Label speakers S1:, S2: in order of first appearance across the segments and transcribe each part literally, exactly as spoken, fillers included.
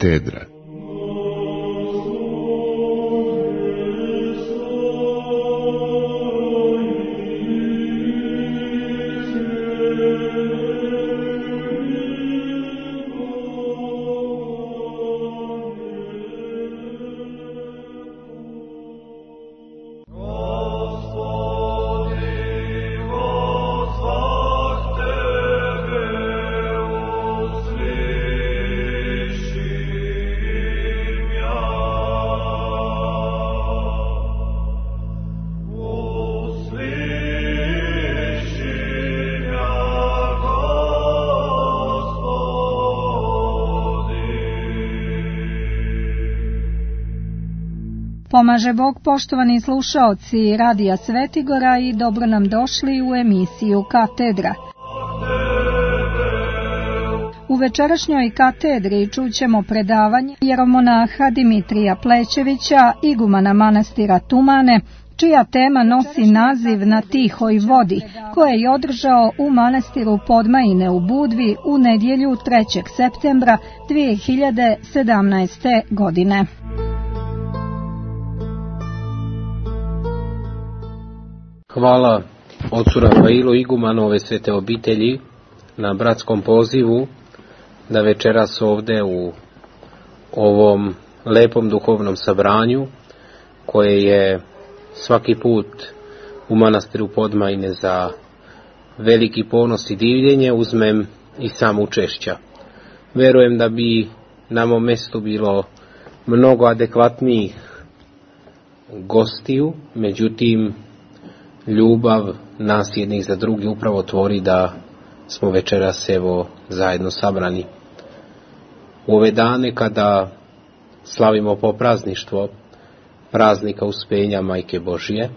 S1: Katedra.
S2: Pomaže Bog, poštovani slušaoci Radija Svetigora, i dobro nam došli u emisiju Katedra. U večerašnjoj katedri čućemo predavanje jeromonaha Dimitrija Plećevića, igumana manastira Tumane, čija tema nosi naziv Na tihoj vodi, koje je održao u manastiru Podmajine u Budvi u nedjelju trećeg septembra dvije hiljade sedamnaeste. godine.
S3: Hvala ocu Rafailu, igumanu ove svete obitelji, na bratskom pozivu da večeras ovde u ovom lepom duhovnom sabranju, koje je svaki put u manastiru Podmajine za veliki ponos i divljenje, uzmem i sam učešća. Verujem da bi na mom mestu bilo mnogo adekvatnijih gostiju, međutim ljubav nas jednih za drugi upravo tvori da smo večeras evo zajedno sabrani. U ove dane kada slavimo poprazništvo praznika Uspenja Majke Božije,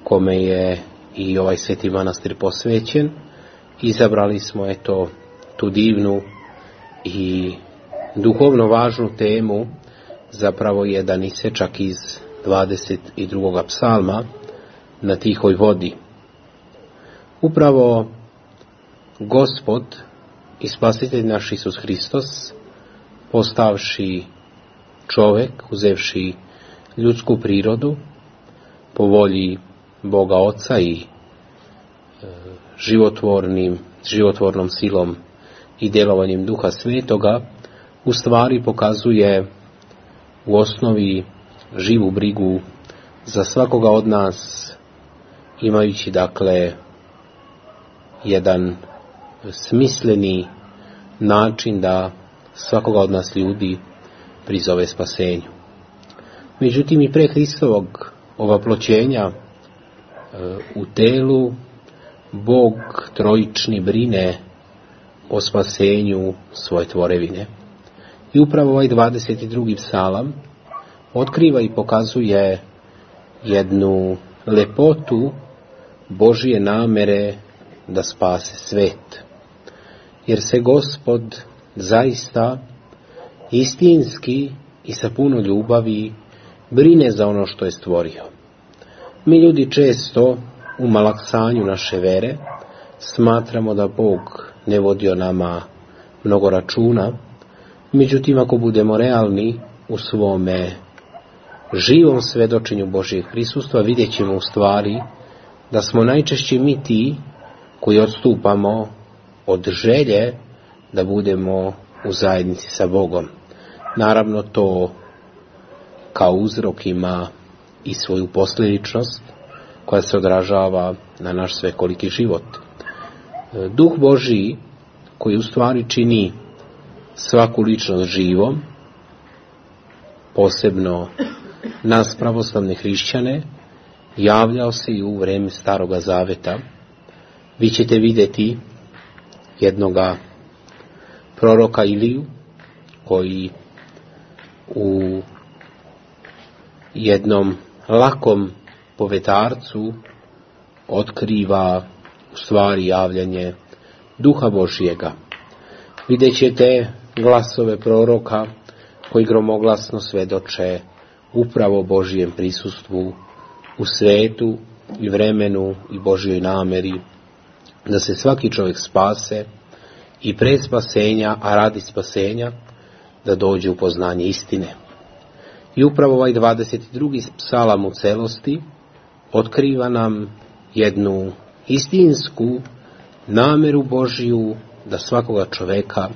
S3: kome je i ovaj sveti manastir posvećen, izabrali smo eto tu divnu i duhovno važnu temu, zapravo jedan isečak iz dvadeset drugog psalma, Na tihoj vodi. Upravo Gospod i Spasitelj naš Isus Hristos, postavši čovek, uzevši ljudsku prirodu po volji Boga Oca i e, životvornim, životvornom silom i djelovanjem Duha Svetoga, u stvari pokazuje u osnovi živu brigu za svakoga od nas, imajući dakle jedan smisleni način da svakoga od nas ljudi prizove spasenju. Međutim, i pre Hristovog ovaploćenja u telu Bog trojični brine o spasenju svoje tvorevine. I upravo ovaj dvadeset drugi psalam otkriva i pokazuje jednu lepotu Božije namere da spase svet. Jer se Gospod zaista istinski i sa puno ljubavi brine za ono što je stvorio. Mi ljudi često u malaksanju naše vere smatramo da Bog ne vodi o nama mnogo računa, međutim ako budemo realni u svome živom svedočenju Božijeg prisustva, vidjet ćemo u stvari da smo najčešće mi ti koji odstupamo od želje da budemo u zajednici sa Bogom. Naravno, to kao uzrok ima i svoju posljedičnost koja se odražava na naš svekoliki život. Duh Božiji, koji u stvari čini svaku ličnost živom, posebno nas pravoslavne hrišćane, javljao se i u vreme Staroga Zaveta. Vi ćete vidjeti jednoga proroka Iliju, koji u jednom lakom povetarcu otkriva u stvari javljanje Duha Božijega. Vidjet ćete glasove proroka koji gromoglasno svedoče upravo Božijem prisustvu u svetu i vremenu i Božjoj nameri da se svaki čovjek spase i pre spasenja, a radi spasenja da dođe u poznanje istine. I upravo ovaj dvadeset drugi psalam u celosti otkriva nam jednu istinsku nameru Božiju da svakoga čoveka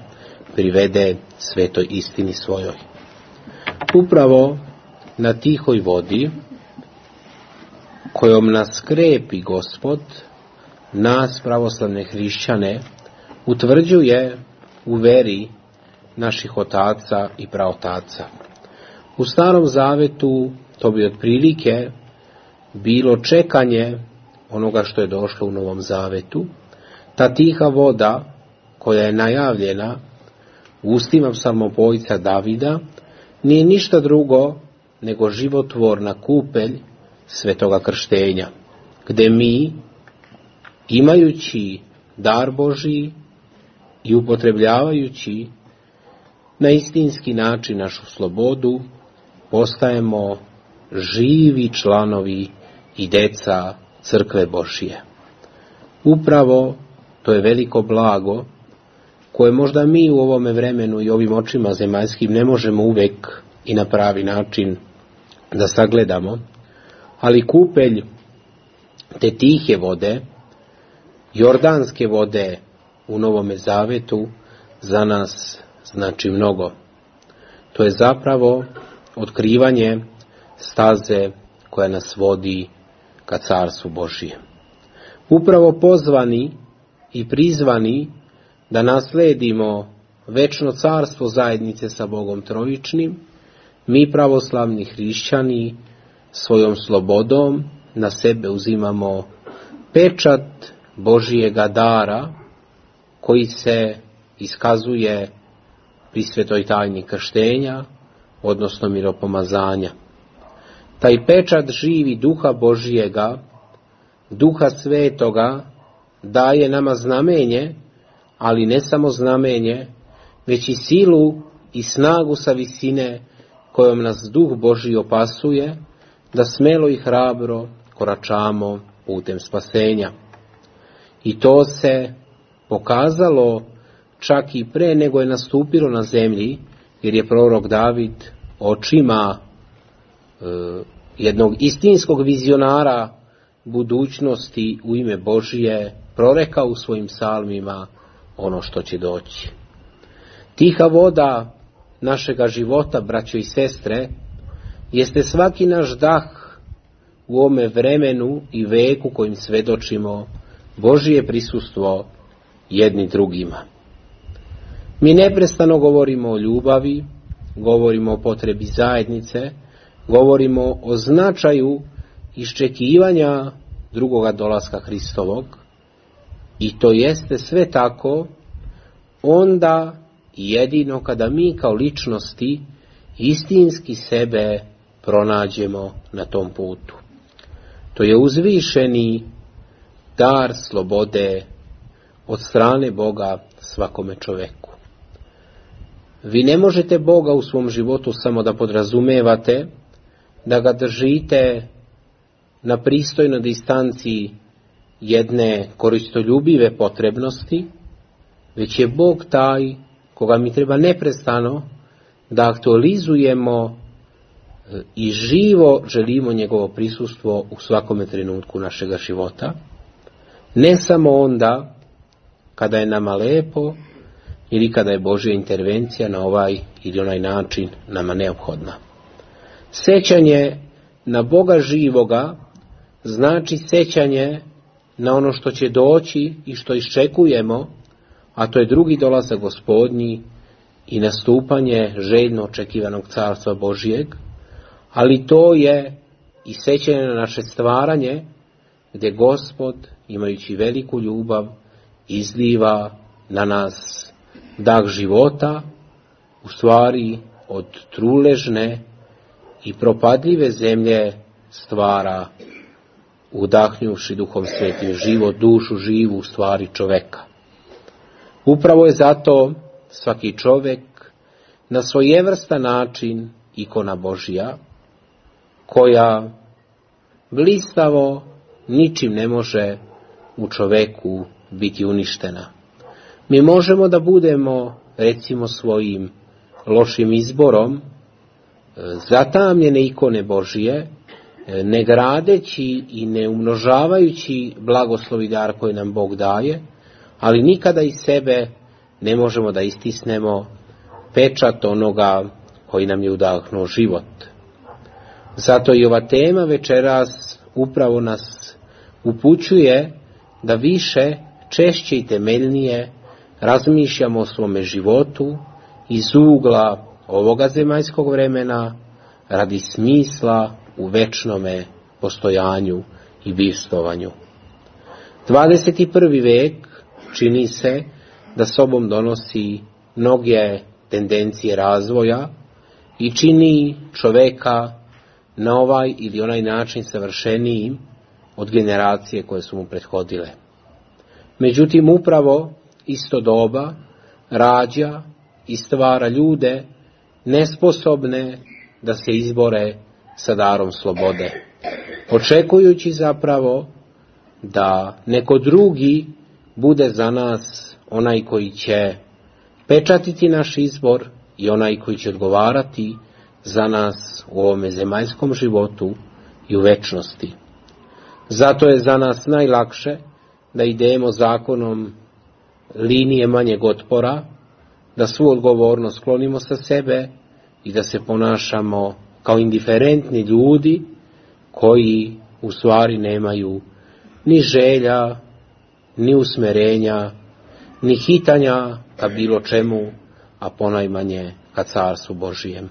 S3: privede svetoj istini svojoj. Upravo na tihoj vodi kojom nas krepi Gospod, nas pravoslavne hrišćane utvrđuje u veri naših otaca i praotaca. U Starom Zavetu to bi otprilike bilo čekanje onoga što je došlo u Novom Zavetu. Ta tiha voda koja je najavljena u ustima psalmopojca Davida nije ništa drugo nego životvorna kupelj svetoga krštenja, gde mi, imajući dar Božiji i upotrebljavajući na istinski način našu slobodu, postajemo živi članovi i deca crkve Božije. Upravo to je veliko blago koje možda mi u ovome vremenu i ovim očima zemaljskim ne možemo uvek i na pravi način da sagledamo, ali kupelj te tihe vode, jordanske vode u Novome Zavetu za nas znači mnogo. To je zapravo otkrivanje staze koja nas vodi ka carstvu Božijem. Upravo pozvani i prizvani da nasledimo večno carstvo zajednice sa Bogom trojičnim, mi pravoslavni hrišćani svojom slobodom na sebe uzimamo pečat Božijega dara koji se iskazuje pri svetoj tajni krštenja, odnosno miropomazanja. Taj pečat živi duha Božijega, duha svetoga, daje nama znamenje, ali ne samo znamenje, već i silu i snagu sa visine kojom nas duh Božji opasuje, da smelo i hrabro koračamo putem spasenja. I to se pokazalo čak i pre nego je nastupilo na zemlji, jer je prorok David očima e, jednog istinskog vizionara budućnosti u ime Božije prorekao u svojim psalmima ono što će doći. Tiha voda našega života, braćo i sestre, jeste svaki naš dah u ovome vremenu i veku kojim svedočimo Božije prisustvo jedni drugima. Mi neprestano govorimo o ljubavi, govorimo o potrebi zajednice, govorimo o značaju iščekivanja drugoga dolaska Hristovog, i to jeste sve tako onda jedino kada mi kao ličnosti istinski sebe pronađemo na tom putu. To je uzvišeni dar slobode od strane Boga svakome čoveku. Vi ne možete Boga u svom životu samo da podrazumevate, da ga držite na pristojnoj distanciji jedne koristoljubive potrebnosti, već je Bog taj koga mi treba neprestano da aktualizujemo i živo želimo njegovo prisustvo u svakome trenutku našega života, ne samo onda kada je nama lepo ili kada je Božja intervencija na ovaj ili onaj način nama neophodna. Sećanje na Boga živoga znači sećanje na ono što će doći i što iščekujemo, a to je drugi dolazak Gospodnji i nastupanje željno očekivanog carstva Božijeg, ali to je i sećanje na naše stvaranje, gdje Gospod, imajući veliku ljubav, izliva na nas dah života, u stvari od truležne i propadljive zemlje stvara, udahnjuši Duhom Svetim život, dušu živu, u stvari čoveka. Upravo je zato svaki čovek na svojevrstan način ikona Božja, koja blistavo ničim ne može u čoveku biti uništena. Mi možemo da budemo, recimo, svojim lošim izborom zatamljene ikone Božije, ne gradeći i ne umnožavajući blagoslov i dar koji nam Bog daje, ali nikada iz sebe ne možemo da istisnemo pečat onoga koji nam je udahnuo život. Zato i ova tema večeras upravo nas upućuje da više, češće i temeljnije razmišljamo o svome životu iz ugla ovoga zemaljskog vremena radi smisla u večnome postojanju i bivstvovanju. dvadeset prvi vek čini se da sobom donosi mnoge tendencije razvoja i čini čoveka na ovaj ili onaj način savršenijim od generacije koje su mu prethodile. Međutim, upravo isto doba rađa i stvara ljude nesposobne da se izbore sa darom slobode, očekujući zapravo da neko drugi bude za nas onaj koji će pečatiti naš izbor i onaj koji će odgovarati za nas u ovome zemaljskom životu i u večnosti. Zato je za nas najlakše da idemo zakonom linije manjeg otpora, da svu odgovornost sklonimo sa sebe i da se ponašamo kao indiferentni ljudi koji u stvari nemaju ni želja, ni usmerenja, ni hitanja ka bilo čemu, a ponajmanje ka carstvu Božijem.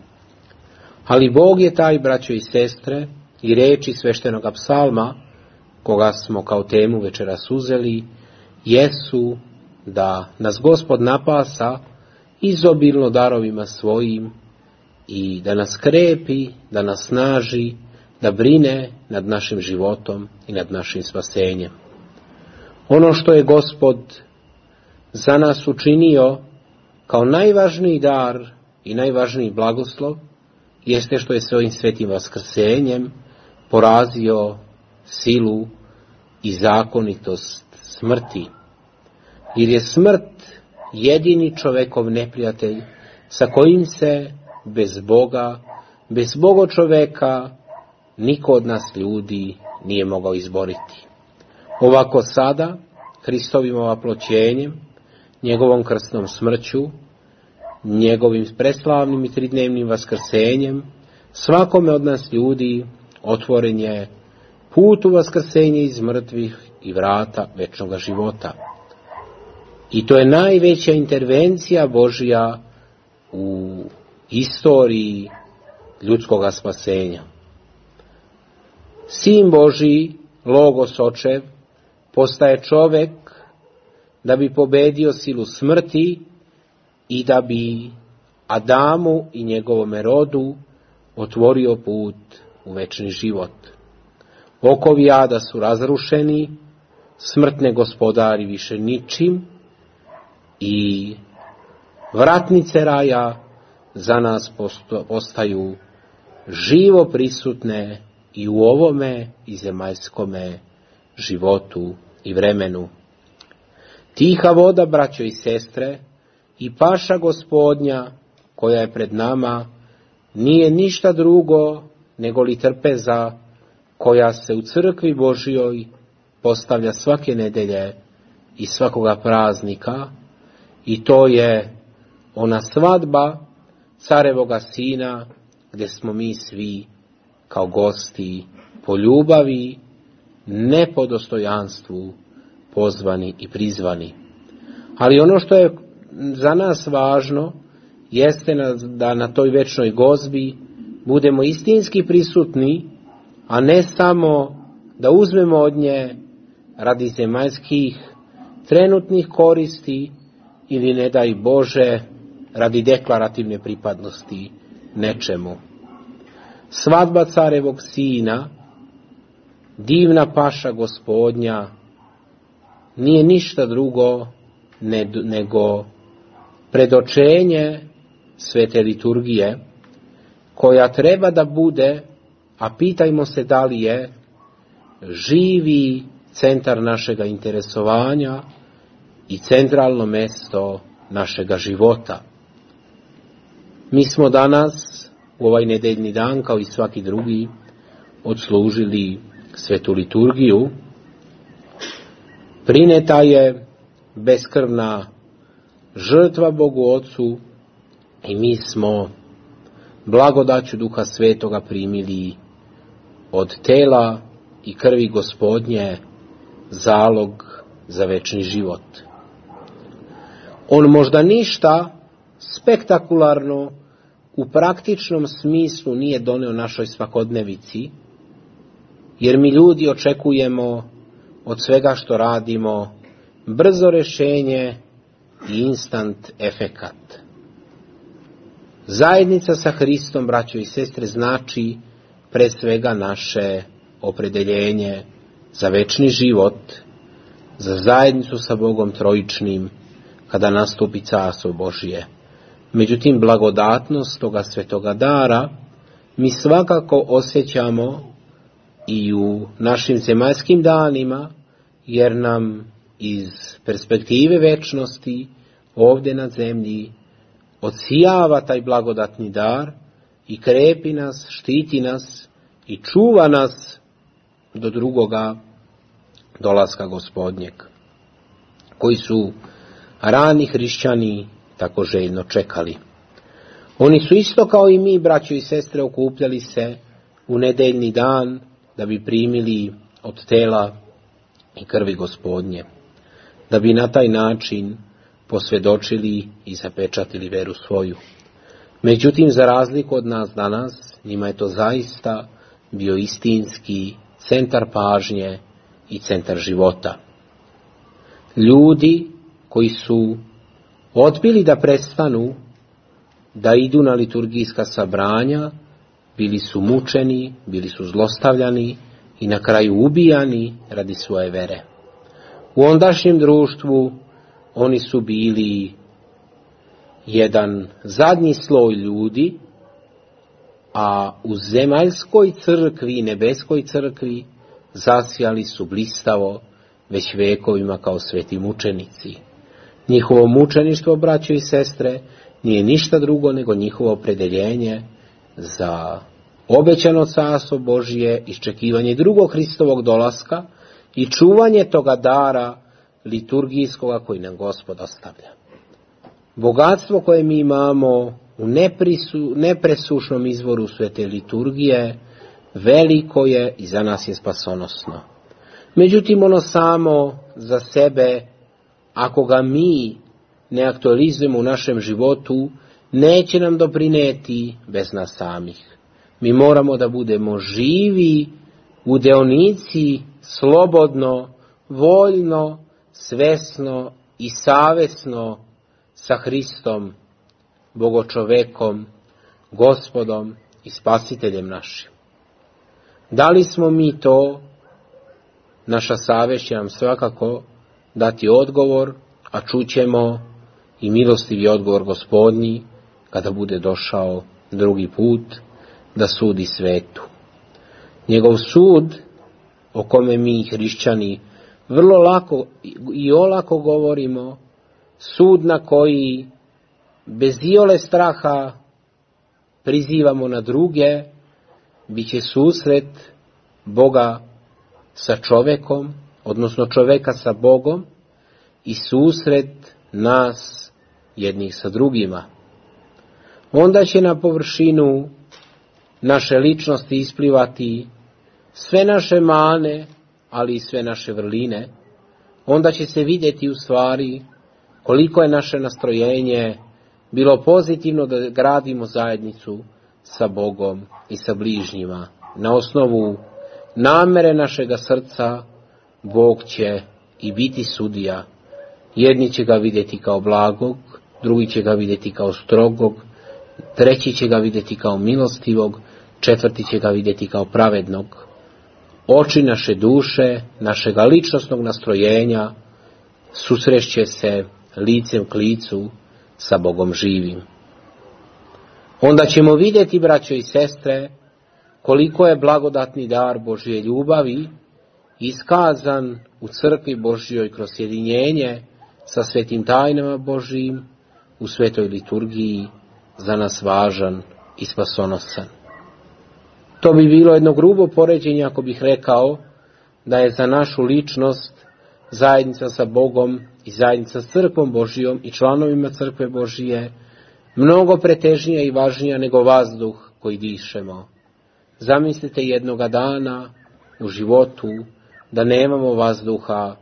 S3: Ali Bog je taj, braćo i sestre, i reči sveštenoga psalma, koga smo kao temu večeras uzeli, jesu da nas Gospod napasa izobilno darovima svojim i da nas krepi, da nas snaži, da brine nad našim životom i nad našim spasenjem. Ono što je Gospod za nas učinio kao najvažniji dar i najvažniji blagoslov jeste što je svojim svetim vaskrsenjem porazio silu i zakonitost smrti. Jer je smrt jedini čovekov neprijatelj sa kojim se bez Boga, bez Boga čoveka, niko od nas ljudi nije mogao izboriti. Ovako sada, Hristovim ovaploćenjem, njegovom krstnom smrću, njegovim preslavnim i tridnevnim vaskrsenjem, svakome od nas ljudi otvoren je put u vaskrsenje iz mrtvih i vrata večnog života. I to je najveća intervencija Božja u istoriji ljudskog spasenja. Sin Božji, Logos Očev, postaje čovek da bi pobedio silu smrti i da bi Adamu i njegovome rodu otvorio put u večni život. Okovi ada su razrušeni, smrt ne gospodari više ničim i vratnice raja za nas postaju živo prisutne i u ovome i zemaljskome životu i vremenu. Tiha voda, braćo i sestre, i paša Gospodnja koja je pred nama nije ništa drugo nego li trpeza koja se u crkvi Božjoj postavlja svake nedelje i svakoga praznika, i to je ona svadba carevoga sina gdje smo mi svi kao gosti po ljubavi, ne po dostojanstvu pozvani i prizvani. Ali ono što je za nas važno jeste da na toj večnoj gozbi budemo istinski prisutni, a ne samo da uzmemo od nje radi zemaljskih trenutnih koristi ili, ne daj Bože, radi deklarativne pripadnosti nečemu. Svadba carevog sina, divna paša Gospodnja, nije ništa drugo nego predočenje svete liturgije, koja treba da bude, a pitajmo se da li je, živi centar našega interesovanja i centralno mesto našega života. Mi smo danas, u ovaj nedeljni dan, kao i svaki drugi, odslužili svetu liturgiju. Prineta je beskrvna žrtva Bogu Ocu i mi smo blagodaću Duha Svetoga primili od tela i krvi Gospodnje zalog za večni život. On možda ništa spektakularno u praktičnom smislu nije doneo našoj svakodnevici, jer mi ljudi očekujemo od svega što radimo brzo rješenje i instant efekat. Zajednica sa Hristom, braćo i sestre, znači pre svega naše opredeljenje za večni život, za zajednicu sa Bogom trojičnim, kada nastupi Carstvo Božije. Međutim, blagodatnost toga svetoga dara mi svakako osjećamo i u našim zemaljskim danima, jer nam iz perspektive večnosti ovdje na zemlji odsijava taj blagodatni dar i krepi nas, štiti nas i čuva nas do drugoga dolaska Gospodnjeg, koji su rani hrišćani tako željno čekali. Oni su isto kao i mi, braćo i sestre, okupljali se u nedeljni dan da bi primili od tela i krvi Gospodnje, da bi na taj način posvjedočili i zapečatili veru svoju. Međutim, za razliku od nas danas, njima je to zaista bio istinski centar pažnje i centar života. Ljudi koji su odbili da prestanu da idu na liturgijska sabranja, bili su mučeni, bili su zlostavljani i na kraju ubijani radi svoje vere. U ondašnjem društvu oni su bili jedan zadnji sloj ljudi, a u zemaljskoj crkvi, nebeskoj crkvi, zasjali su blistavo već vekovima kao sveti mučenici. Njihovo mučeništvo, braćo i sestre, nije ništa drugo nego njihovo opredeljenje za obećano Carstvo Božije, iščekivanje drugog Hristovog dolaska i čuvanje toga dara liturgijskoga koji nam Gospod ostavlja. Bogatstvo koje mi imamo u neprisu, nepresušnom izvoru svete liturgije veliko je i za nas je spasonosno. Međutim, ono samo za sebe, ako ga mi ne aktualizujemo u našem životu, neće nam doprineti bez nas samih. Mi moramo da budemo živi u deonici, slobodno, voljno, svesno i savesno sa Hristom, Bogočovekom, Gospodom i Spasiteljem našim. Da li smo mi to? Naša savest će nam svakako dati odgovor, a čućemo i milostivi odgovor Gospodnji kada bude došao drugi put da sudi svetu. Njegov sud, o kome mi hrišćani vrlo lako i olako govorimo, sud na koji bez iole straha prizivamo na druge, bit će susret Boga sa čovekom, odnosno čoveka sa Bogom, i susret nas jednih sa drugima. Onda će na površinu naše ličnosti isplivati sve naše mane, ali i sve naše vrline. Onda će se vidjeti u stvari koliko je naše nastrojenje bilo pozitivno da gradimo zajednicu sa Bogom i sa bližnjima. Na osnovu namere našega srca Bog će i biti sudija. Jedni će ga vidjeti kao blagog, drugi će ga vidjeti kao strogog, treći će ga vidjeti kao milostivog, četvrti će ga vidjeti kao pravednog. Oči naše duše, našega ličnosnog nastrojenja susrešće se licem k licu sa Bogom živim. Onda ćemo vidjeti, braćo i sestre, koliko je blagodatni dar Božje ljubavi iskazan u crkvi Božjoj kroz sjedinjenje sa svetim tajnama Božjim, u svetoj liturgiji za nas važan i spasonosan. To bi bilo jedno grubo poređenje ako bih rekao da je za našu ličnost zajednica sa Bogom i zajednica s crkvom Božijom i članovima crkve Božije mnogo pretežnija i važnija nego vazduh koji dišemo. Zamislite jednoga dana u životu da nemamo vazduha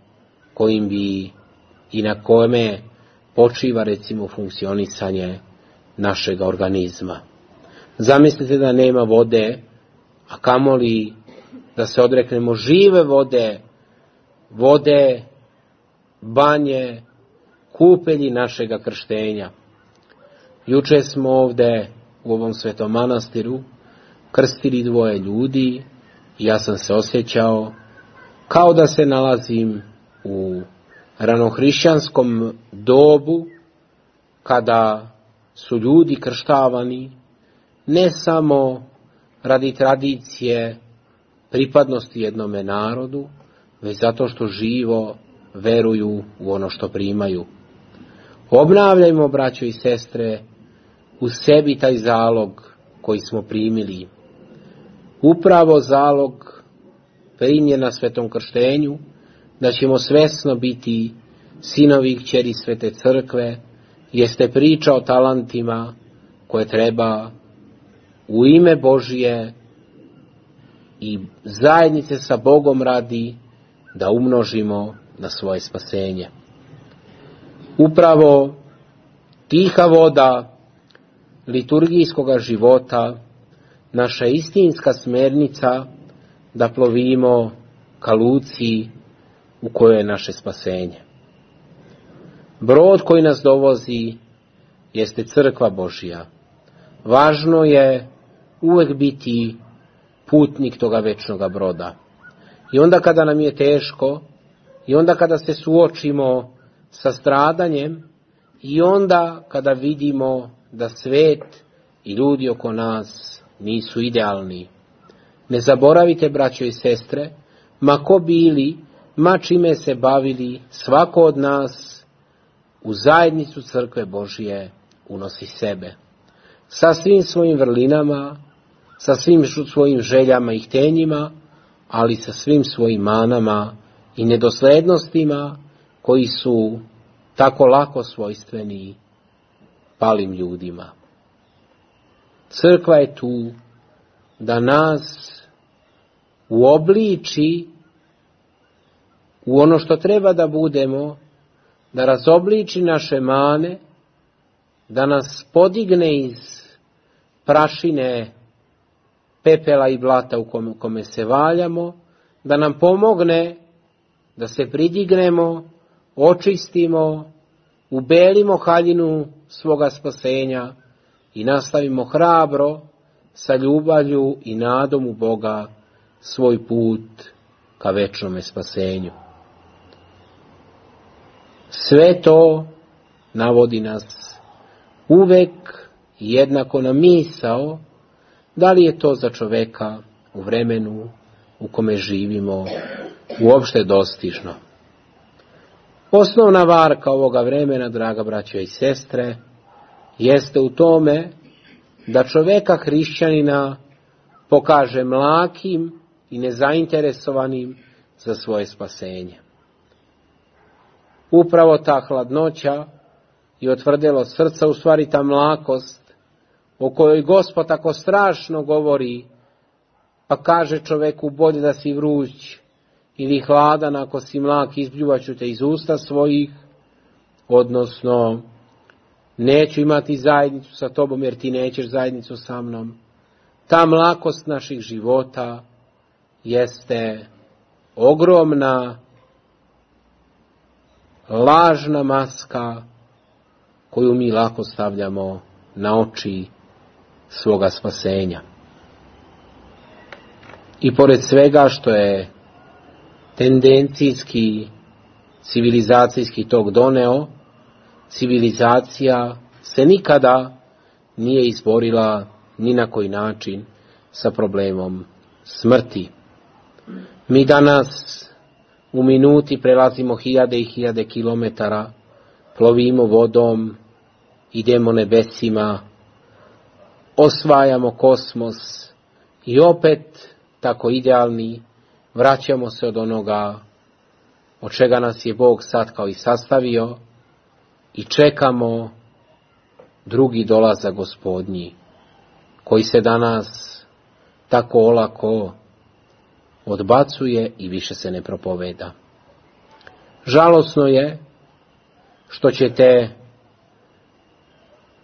S3: kojim bi i na kome počiva recimo funkcionisanje našeg organizma. Zamislite da nema vode, a kamoli da se odreknemo žive vode, vode, banje, kupelji našega krštenja. Juče smo ovde u ovom svetom manastiru krstili dvoje ljudi i ja sam se osjećao kao da se nalazim u ranohrišćanskom dobu kada su ljudi krštavani ne samo radi tradicije pripadnosti jednome narodu, već zato što živo veruju u ono što primaju. Obnavljajmo, braćo i sestre, u sebi taj zalog koji smo primili. Upravo zalog primljen na svetom krštenju, da ćemo svesno biti sinovi i kćeri svete crkve, jeste priča o talentima koje treba u ime Božije i zajednice sa Bogom radi da umnožimo na svoje spasenje. Upravo tiha voda liturgijskoga života, naša istinska smernica da plovimo ka luci u kojoj je naše spasenje. Brod koji nas dovozi jeste crkva Božja. Važno je uvek biti putnik toga večnoga broda. I onda kada nam je teško, i onda kada se suočimo sa stradanjem, i onda kada vidimo da svet i ljudi oko nas nisu idealni. Ne zaboravite, braćo i sestre, ma ko bili, ma čime se bavili, svako od nas u zajednicu crkve Božije unosi sebe. Sa svim svojim vrlinama, sa svim svojim željama i htenjima, ali sa svim svojim manama i nedoslednostima koji su tako lako svojstveni palim ljudima. Crkva je tu da nas uobliči u ono što treba da budemo, da razobliči naše mane, da nas podigne iz prašine, pepela i blata u kome, kome se valjamo, da nam pomogne da se pridignemo, očistimo, ubelimo haljinu svoga spasenja i nastavimo hrabro sa ljubavlju i nadom u Boga svoj put ka večnome spasenju. Sve to navodi nas uvek jednako na misao da li je to za čoveka u vremenu u kome živimo uopšte dostižno. Osnovna varka ovoga vremena, draga braćo i sestre, jeste u tome da čoveka hrišćanina pokaže mlakim i nezainteresovanim za svoje spasenje. Upravo ta hladnoća i otvrdelo srca, u stvari ta mlakost o kojoj Gospod tako strašno govori, pa kaže čoveku bolje da si vruć ili hladan, ako si mlak izbljuvaću te iz usta svojih, odnosno neću imati zajednicu sa tobom jer ti nećeš zajednicu sa mnom. Ta mlakost naših života jeste ogromna lažna maska koju mi lako stavljamo na oči svoga spasenja. I pored svega što je tendencijski, civilizacijski tok doneo, civilizacija se nikada nije izborila ni na koji način sa problemom smrti. Mi danas u minuti prelazimo hiljade i hiljade kilometara, plovimo vodom, idemo nebesima, osvajamo kosmos i opet, tako idealni, vraćamo se od onoga od čega nas je Bog sad kao i sastavio i čekamo drugi dolazak Gospodnji, koji se danas tako olako odbacuje i više se ne propoveda. Žalosno je što ćete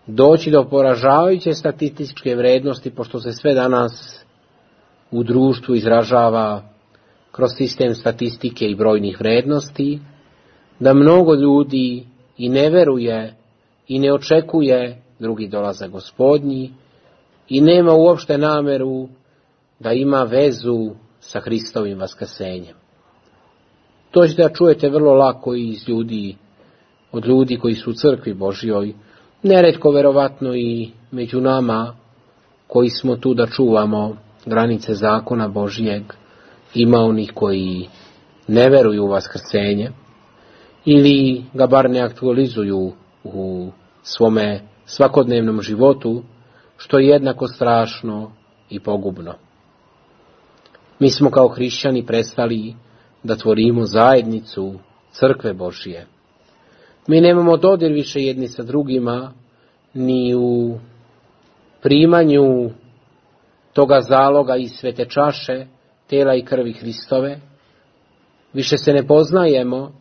S3: doći do poražavajuće statističke vrednosti, pošto se sve danas u društvu izražava kroz sistem statistike i brojnih vrednosti, da mnogo ljudi i ne veruje i ne očekuje drugi dolazak Gospodnji i nema uopšte nameru da ima vezu sa Hristovim vaskrsenjem. To ćete da čujete vrlo lako i iz ljudi, od ljudi koji su u crkvi Božjoj, neretko verovatno i među nama koji smo tu da čuvamo granice zakona Božjeg, ima onih koji ne veruju u vaskrsenje ili ga bar ne aktualizuju u svome svakodnevnom životu, što je jednako strašno i pogubno. Mi smo kao hrišćani prestali da tvorimo zajednicu crkve Božje. Mi nemamo dodir više jedni sa drugima, ni u primanju toga zaloga iz svete čaše, tela i krvi Hristove. Više se ne poznajemo,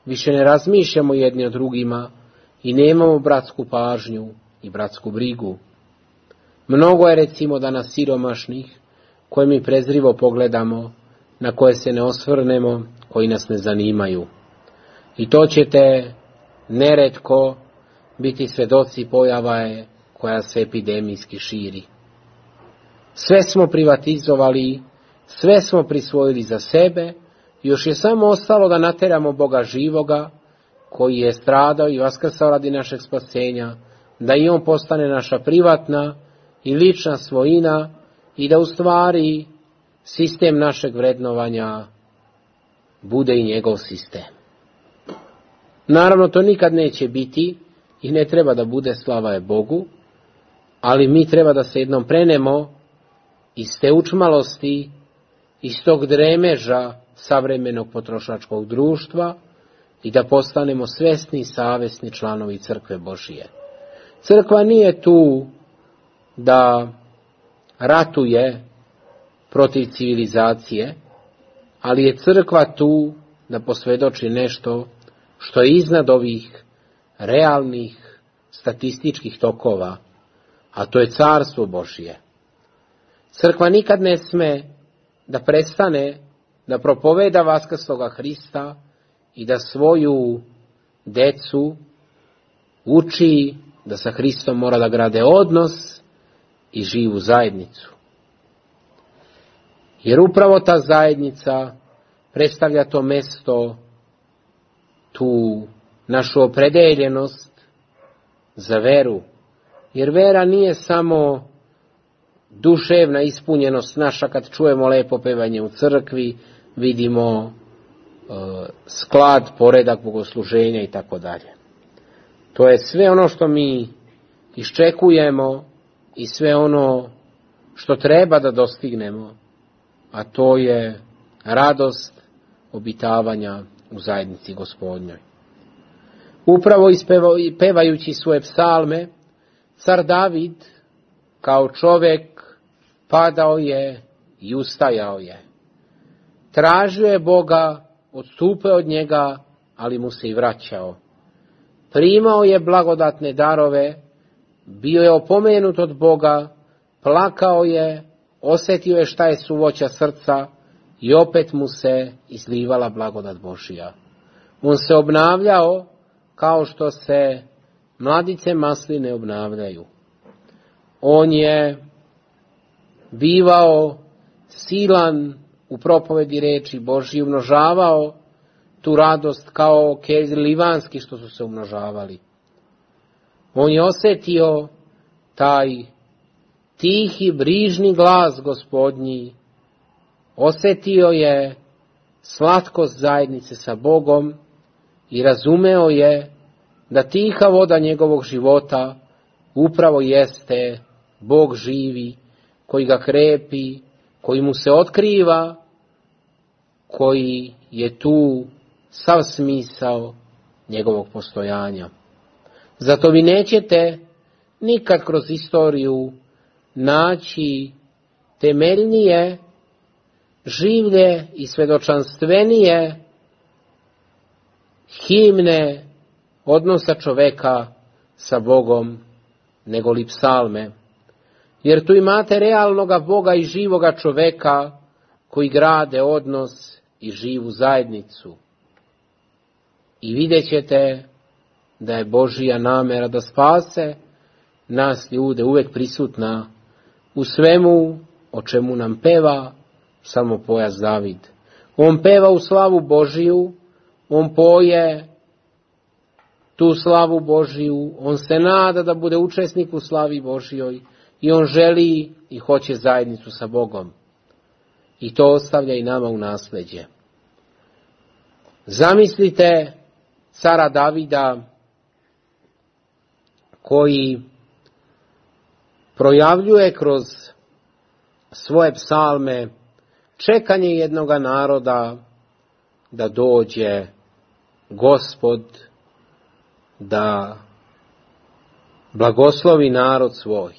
S3: više ne razmišljamo jedni o drugima i nemamo bratsku pažnju i bratsku brigu. Mnogo je recimo danas siromašnih koje mi prezrivo pogledamo, na koje se ne osvrnemo, koji nas ne zanimaju. I to ćete neretko biti svedoci pojava je koja se epidemijski širi. Sve smo privatizovali, sve smo prisvojili za sebe, još je samo ostalo da nateramo Boga živoga, koji je stradao i vaskrsao radi našeg spasenja, da i on postane naša privatna i lična svojina i da u stvari sistem našeg vrednovanja bude i njegov sistem. Naravno, to nikad neće biti i ne treba da bude, slava je Bogu, ali mi treba da se jednom prenemo iz te učmalosti, iz tog dremeža savremenog potrošačkog društva i da postanemo svesni i savesni članovi crkve Božije. Crkva nije tu da ratuje protiv civilizacije, ali je crkva tu da posvjedoči nešto što je iznad ovih realnih statističkih tokova, a to je carstvo Božje. Crkva nikad ne sme da prestane da propoveda vaskrsloga Hrista i da svoju decu uči da sa Hristom mora da grade odnos i živu zajednicu. Jer upravo ta zajednica predstavlja to mesto, tu našu opredeljenost za veru. Jer vera nije samo duševna ispunjenost naša kad čujemo lepo pevanje u crkvi, vidimo e, sklad, poredak bogosluženja i tako dalje. To je sve ono što mi iščekujemo i sve ono što treba da dostignemo, a to je radost obitavanja u zajednici Gospodnjoj. Upravo pevajući svoje psalme, car David kao čovjek padao je i ustajao je. Tražio je Boga, odstupio od njega, ali mu se i vraćao. Primao je blagodatne darove, bio je opomenut od Boga, plakao je, osjetio je šta je suvoća srca i opet mu se izlivala blagodat Božja. On se obnavljao kao što se mladice masline obnavljaju. On je bivao silan u propovedi reči Božji, umnožavao tu radost kao kelj livanski što su se umnožavali. On je osjetio taj tihi, brižni glas Gospodnji, osjetio je slatkost zajednice sa Bogom i razumeo je da tiha voda njegovog života upravo jeste Bog živi, koji ga krepi, koji mu se otkriva, koji je tu sav smisao njegovog postojanja. Zato vi nećete nikad kroz istoriju naći temeljnije, življe i svedočanstvenije himne odnosa čoveka sa Bogom nego li psalme. Jer tu imate realnoga Boga i živoga čoveka koji grade odnos i živu zajednicu. I vidjet ćete da je Božija namera da spase nas ljude uvek prisutna u svemu o čemu nam peva psalmopojac David. On peva u slavu Božiju, on poje tu slavu Božiju, on se nada da bude učesnik u slavi Božijoj i on želi i hoće zajednicu sa Bogom. I to ostavlja i nama u nasleđe. Zamislite cara Davida koji projavljuje kroz svoje psalme čekanje jednoga naroda da dođe Gospod da blagoslovi narod svoj.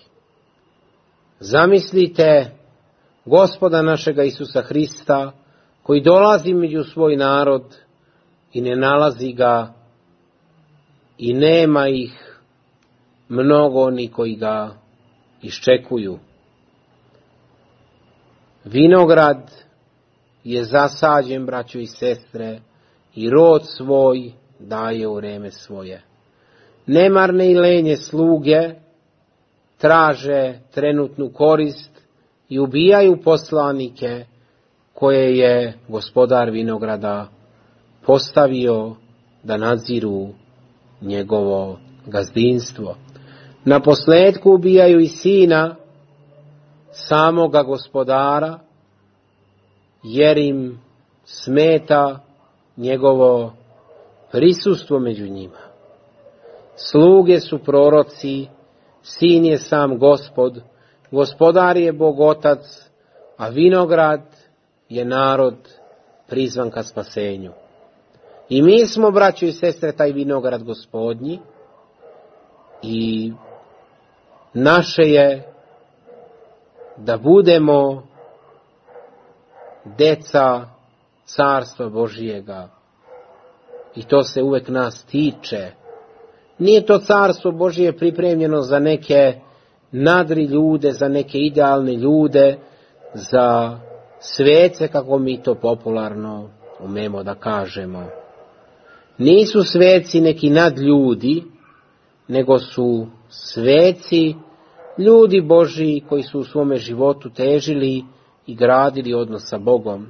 S3: Zamislite Gospoda našega Isusa Hrista koji dolazi među svoj narod i ne nalazi ga i nema ih mnogo oni koji ga iščekuju. Vinograd je zasađen, braćo i sestre, i rod svoj daje u vreme svoje. Nemarne i lenje sluge traže trenutnu korist i ubijaju poslanike koje je gospodar vinograda postavio da nadziru njegovo gazdinstvo. Na posljedku ubijaju i sina samoga gospodara, jer im smeta njegovo prisustvo među njima. Sluge su proroci, sin je sam Gospod, gospodar je Bog Otac, a vinograd je narod prizvan ka spasenju. I mi smo, braćo i sestre, taj vinograd Gospodnji i naše je da budemo deca carstva Božijega. I to se uvek nas tiče. Nije to carstvo Božije pripremljeno za neke nadri ljude, za neke idealne ljude, za svece, kako mi to popularno umemo da kažemo. Nisu sveci neki nadljudi, nego su sveci ljudi Božiji koji su u svome životu težili i gradili odnos sa Bogom.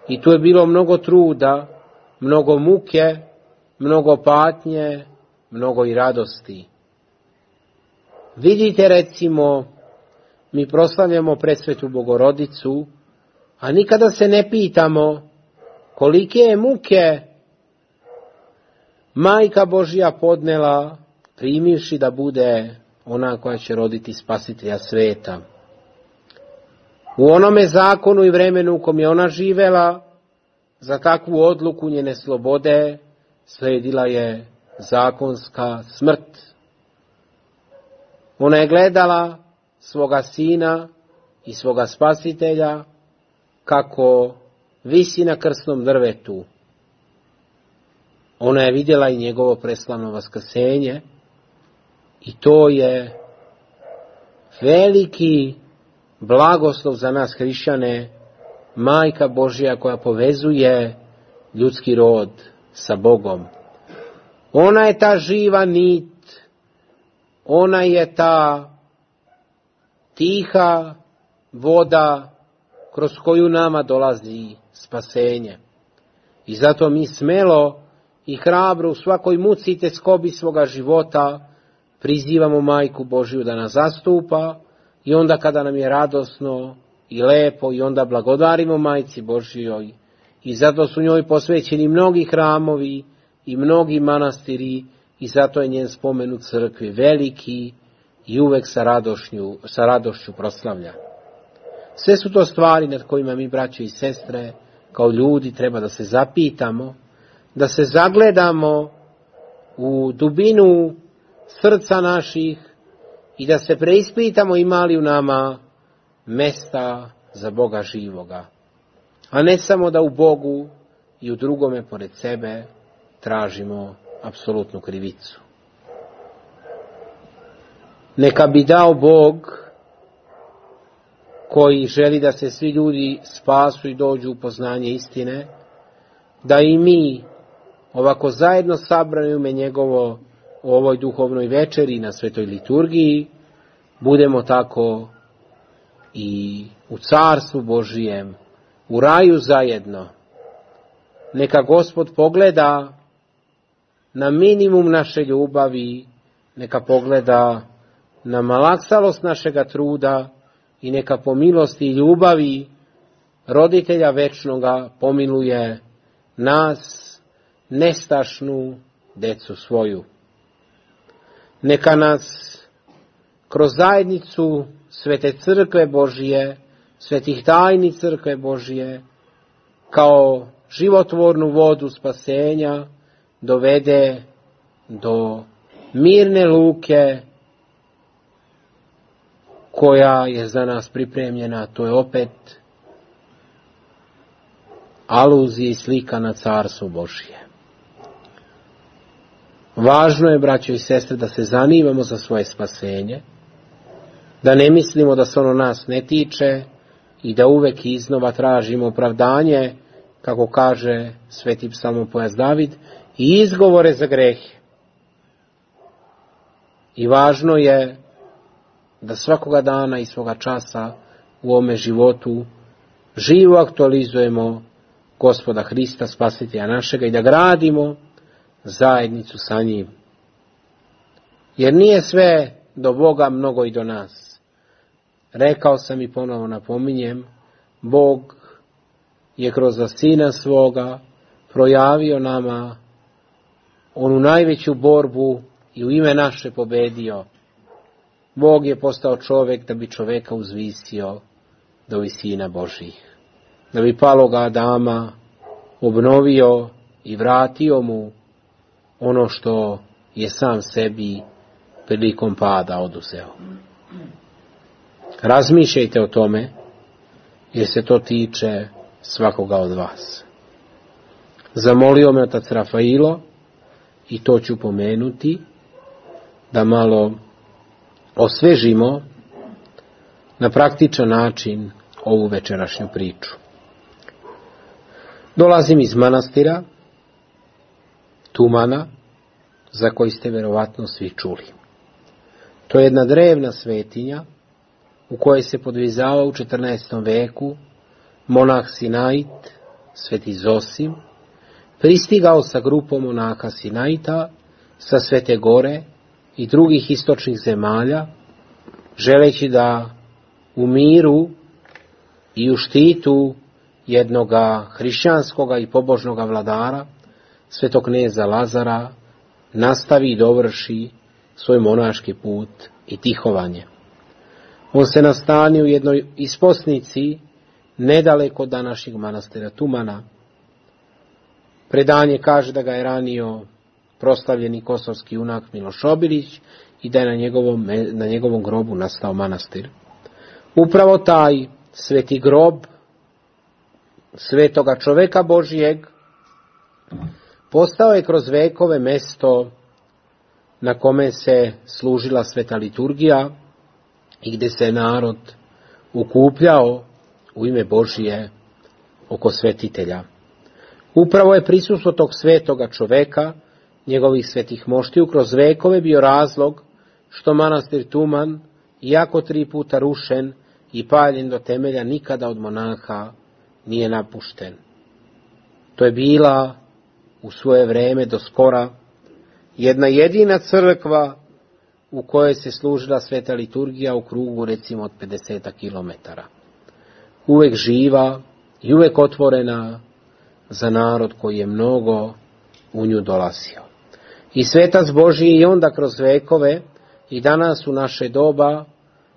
S3: I tu je bilo mnogo truda, mnogo muke, mnogo patnje, mnogo i radosti. Vidite, recimo, mi proslavljamo presvetu Bogorodicu, a nikada se ne pitamo kolike je muke Majka Božja podnela primivši da bude ona koja će roditi Spasitelja sveta. U onome zakonu i vremenu u kom je ona živela, za takvu odluku njene slobode sledila je zakonska smrt. Ona je gledala svoga sina i svoga Spasitelja kako visi na krsnom drvetu. Ona je vidjela i njegovo preslavno vaskrsenje i to je veliki blagoslov za nas hrišćane, Majka Božja koja povezuje ljudski rod sa Bogom. Ona je ta živa nit, ona je ta tiha voda kroz koju nama dolazi spasenje. I zato mi smelo i hrabro u svakoj muci i teskobi svoga života prizivamo Majku Božju da nas zastupa i onda kada nam je radosno i lepo i onda blagodarimo Majci Božjoj. I zato su njoj posvećeni mnogi hramovi i mnogi manastiri i zato je njen spomen u crkvi veliki i uvek sa radošću, sa radošću proslavlja. Sve su to stvari nad kojima mi, braćo i sestre, kao ljudi treba da se zapitamo, da se zagledamo u dubinu srca naših i da se preispitamo ima li u nama mesta za Boga živoga, a ne samo da u Bogu i u drugome pored sebe tražimo apsolutnu krivicu. Neka bi dao Bog, koji želi da se svi ljudi spasu i dođu u poznanje istine, da i mi ovako zajedno sabrani u ime njegovo u ovoj duhovnoj večeri na svetoj liturgiji budemo tako i u carstvu Božijem, u raju zajedno. Neka Gospod pogleda na minimum naše ljubavi, neka pogleda na malaksalost našega truda i neka po milosti i ljubavi roditelja večnoga pomiluje nas, nestašnu decu svoju. Neka nas kroz zajednicu svete crkve Božije, svetih tajni crkve Božije, kao životvornu vodu spasenja dovede do mirne luke koja je za nas pripremljena. To je opet aluzija i slika na carstvo Božije. Važno je, braćo i sestre, da se zanimamo za svoje spasenje, da ne mislimo da se ono nas ne tiče i da uvek iznova tražimo opravdanje, kako kaže sveti psalmopojac David, i izgovore za grehe. I važno je da svakoga dana i svoga časa u ovome životu živo aktualizujemo Gospoda Hrista, Spasitelja našega, i da gradimo zajednicu sa njim. Jer nije sve do Boga, mnogo i do nas. Rekao sam i ponovo napominjem, Bog je kroz Sina svoga projavio nama onu najveću borbu i u ime naše pobedio. Bog je postao čovjek da bi čovjeka uzvisio do visina Božih, da bi paloga Adama obnovio i vratio mu ono što je sam sebi prilikom pada oduzeo. Razmišljajte o tome, jer se to tiče svakoga od vas. Zamolio me otac Rafailo, i to ću pomenuti, da malo osvežimo na praktičan način ovu večerašnju priču. Dolazim iz manastira Tumana, za koji ste vjerovatno svi čuli. To je jedna drevna svetinja u kojoj se podvizavao u četrnaestom veku monah Sinait, sveti Zosim, pristigao sa grupom monaha Sinaita sa Svete Gore i drugih istočnih zemalja, želeći da u miru i u štitu jednoga hrišćanskoga i pobožnoga vladara, svetog kneza Lazara, nastavi i dovrši svoj monaški put i tihovanje. On se nastanio u jednoj isposnici nedaleko od današnjeg manastira Tumana. Predanje kaže da ga je ranio proslavljeni kosovski junak Miloš Obilić i da je na njegovom, na njegovom grobu nastao manastir. Upravo taj sveti grob svetoga čoveka Božijeg postao je kroz vekove mesto na kome se služila sveta liturgija i gdje se narod ukupljao u ime Božije oko svetitelja. Upravo je prisustvo tog svetoga čoveka, njegovih svetih moštiju, kroz vekove bio razlog što manastir Tuman, iako tri puta rušen i paljen do temelja, nikada od monaha nije napušten. To je bila u svoje vrijeme do skora jedna jedina crkva u kojoj se služila sveta liturgija u krugu recimo od pedeset kilometara. Uvek živa i uvek otvorena za narod koji je mnogo u nju dolazio. I svetac Božji i onda kroz vekove i danas u naše doba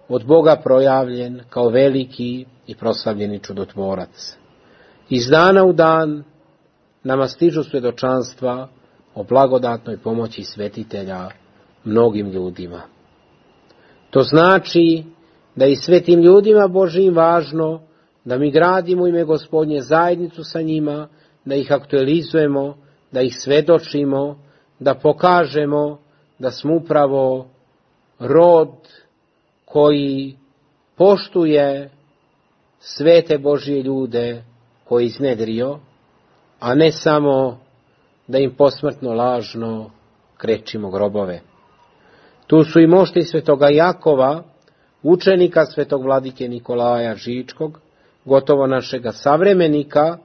S3: od Boga projavljen kao veliki i proslavljeni čudotvorac. Iz dana u dan nama stižu svjedočanstva o blagodatnoj pomoći svetitelja mnogim ljudima. To znači da i svetim ljudima Božijim važno da mi gradimo ime Gospodnje zajednicu sa njima, da ih aktualizujemo, da ih svedočimo, da pokažemo da smo upravo rod koji poštuje svete Božije ljude koji iznedrio, a ne samo da im posmrtno lažno krečimo grobove. Tu su i mošti svetoga Jakova, učenika svetog vladike Nikolaja Žičkog, gotovo našega savremenika,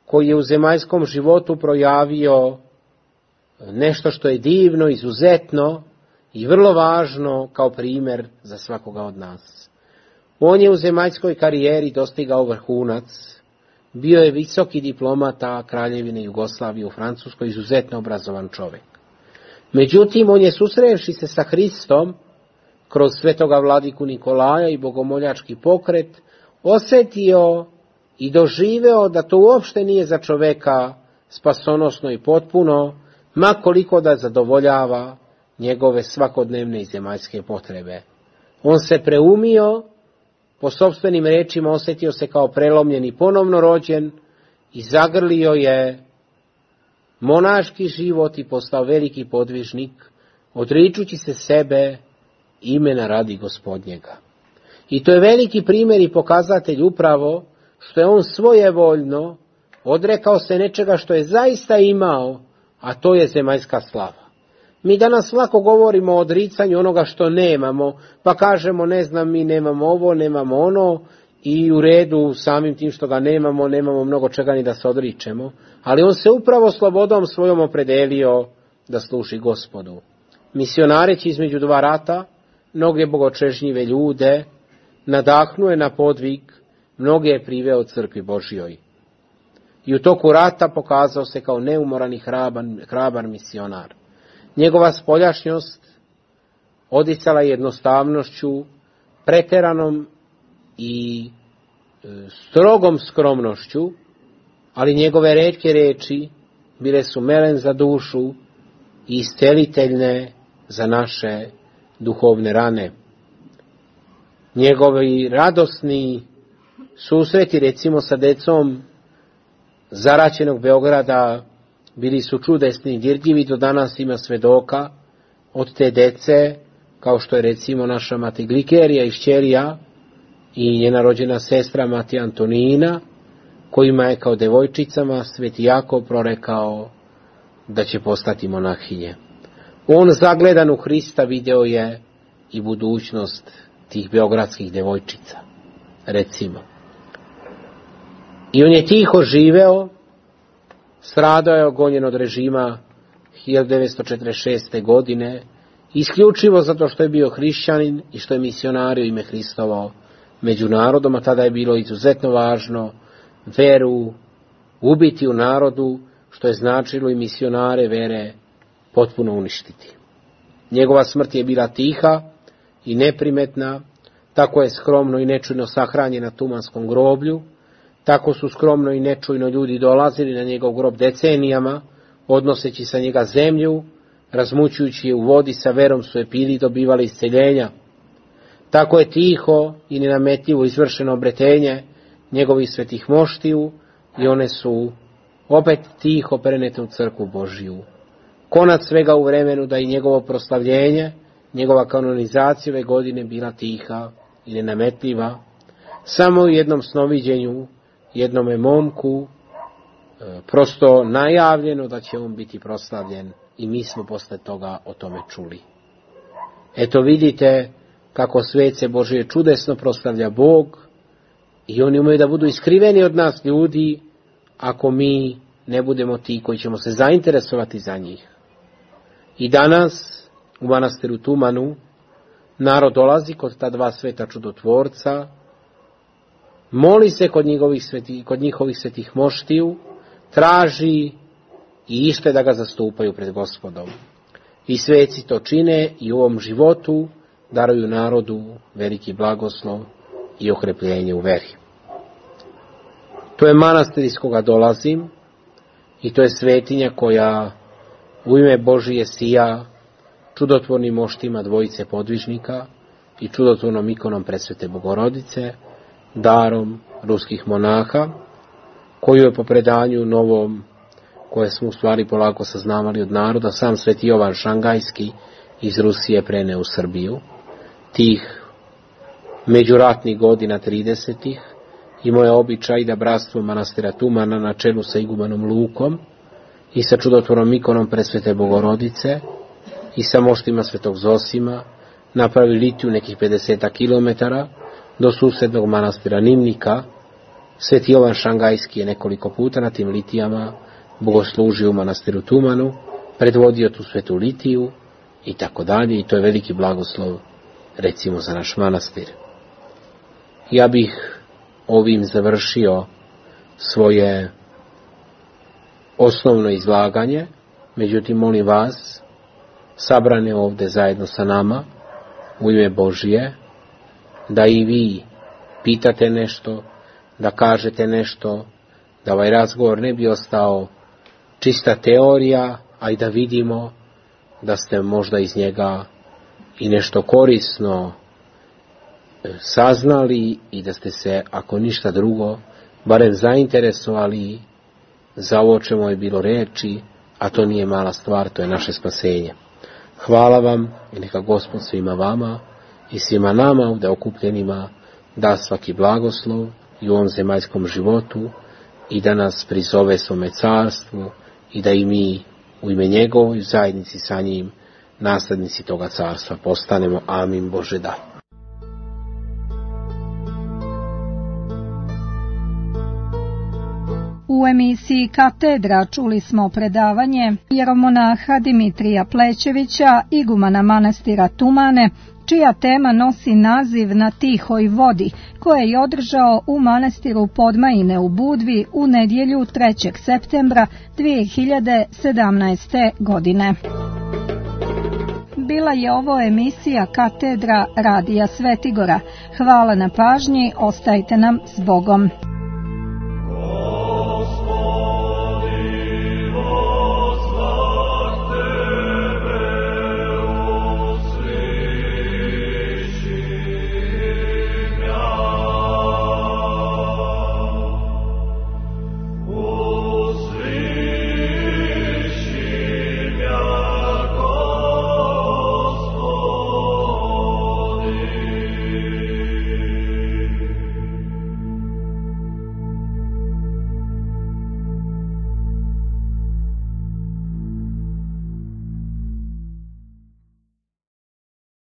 S3: koji je u zemaljskom životu projavio nešto što je divno, izuzetno i vrlo važno kao primjer za svakoga od nas. On je u zemaljskoj karijeri dostigao vrhunac, bio je visoki diplomata Kraljevine Jugoslavije u Francuskoj, izuzetno obrazovan čovjek. Međutim, on je susrevši se sa Hristom kroz svetoga vladiku Nikolaja i bogomoljački pokret, osjetio i doživeo da to uopšte nije za čoveka spasonosno i potpuno, ma koliko da zadovoljava njegove svakodnevne i zemaljske potrebe. On se preumio, po sopstvenim rečima osjetio se kao prelomljen i ponovno rođen i zagrlio je monaški život i postao veliki podvižnik, odričući se sebe imena radi Gospodnjega. I to je veliki primjer i pokazatelj upravo što je on svojevoljno odrekao se nečega što je zaista imao, a to je zemaljska slava. Mi danas lako govorimo o odricanju onoga što nemamo, pa kažemo ne znam mi nemamo ovo, nemamo ono i u redu samim tim što ga nemamo, nemamo mnogo čega ni da se odričemo, ali on se upravo slobodom svojom opredelio da služi Gospodu. Misionareći između dva rata, mnoge bogočežnjive ljude, nadahnuje na podvig, mnoge je priveo crkvi Božjoj. I u toku rata pokazao se kao neumoran i hrabar, hrabar misionar. Njegova spoljašnjost odicala jednostavnošću, preteranom i e, strogom skromnošću, ali njegove retke reči bile su melen za dušu i isceliteljne za naše duhovne rane. Njegovi radosni susreti, recimo sa decom zaraćenog Beograda, bili su čudesni i dirljivi, do danas ima svedoka od te dece, kao što je recimo naša mati Glikerija i šćerija i njena rođena sestra mati Antonina, kojima je kao devojčicama sveti Jakov prorekao da će postati monahinje. On zagledan u Hrista video je i budućnost tih beogradskih devojčica, recimo. I on je tiho živeo, stradao je ogonjen od režima hiljadu devetsto četrdeset šeste. godine, isključivo zato što je bio hrišćanin i što je misionario ime Hristovo među narodom, a tada je bilo izuzetno važno veru ubiti u narodu, što je značilo i misionare vere potpuno uništiti. Njegova smrt je bila tiha i neprimetna, tako je skromno i nečujno sahranjen na Tumanskom groblju, tako su skromno i nečujno ljudi dolazili na njegov grob decenijama, odnoseći sa njega zemlju, razmućujući je u vodi, sa verom su je pili i dobivali isceljenja. Tako je tiho i nenametljivo izvršeno obretenje njegovih svetih moštiju i one su opet tiho prenete u crkvu Božiju. Konac svega u vremenu da i njegovo proslavljenje, njegova kanonizacija ove godine bila tiha i nenametljiva, samo u jednom snoviđenju, jednome momku, e, prosto najavljeno da će on biti proslavljen i mi smo posle toga o tome čuli. Eto vidite kako svece Božije čudesno proslavlja Bog i oni umaju da budu iskriveni od nas ljudi ako mi ne budemo ti koji ćemo se zainteresovati za njih. I danas u manastiru Tumanu narod dolazi kod ta dva sveta čudotvorca, moli se kod njihovih svetih, kod njihovih svetih moštiju, traži i ište da ga zastupaju pred Gospodom. I sveci to čine i u ovom životu daruju narodu veliki blagoslov i okrepljenje u veri. To je manastir iz koga dolazim i to je svetinja koja u ime Božije sija čudotvornim moštima dvojice podvižnika i čudotvornom ikonom Presvete Bogorodice, darom ruskih monaha, koju je po predanju novom, koje smo u stvari polako saznavali od naroda, sam Sveti Jovan Šangajski iz Rusije preneo u Srbiju. Tih međuratnih godina tridesetih imao je običaj da bratstvo manastira Tumana na čelu sa igumanom Lukom i sa čudotvornom ikonom Presvete Bogorodice i sa moštima Svetog Zosima napravi litiju nekih pedeset kilometara do susednog manastira Nimnika. Sveti Jovan Šangajski je nekoliko puta na tim litijama bogoslužio u manastiru Tumanu, predvodio tu svetu litiju i tako dalje, i to je veliki blagoslov recimo za naš manastir. Ja bih ovim završio svoje osnovno izlaganje, međutim molim vas, sabrane ovdje zajedno sa nama, u ime Božije, da i vi pitate nešto, da kažete nešto, da ovaj razgovor ne bi ostao čista teorija, a i da vidimo da ste možda iz njega i nešto korisno saznali i da ste se, ako ništa drugo, barem zainteresovali za ovo čemu je bilo reči, a to nije mala stvar, to je naše spasenje. Hvala vam i neka Gospod svima vama i svima nama ovdje okupljenima da svaki blagoslov i u ovom zemaljskom životu i da nas prizove svome carstvu i da i mi u ime njegovoj zajednici sa njim naslednici toga carstva postanemo. Amin. Bože da.
S2: U emisiji Katedra čuli smo predavanje jeromonaha Dimitrija Plećevića, igumana manastira Tumane, čija tema nosi naziv Na tihoj vodi, koje je održao u manastiru Podmajine u Budvi u nedjelju trećeg septembra dvije hiljade sedamnaeste. godine. Bila je ovo emisija Katedra Radija Svetigora. Hvala na pažnji, ostajte nam s Bogom.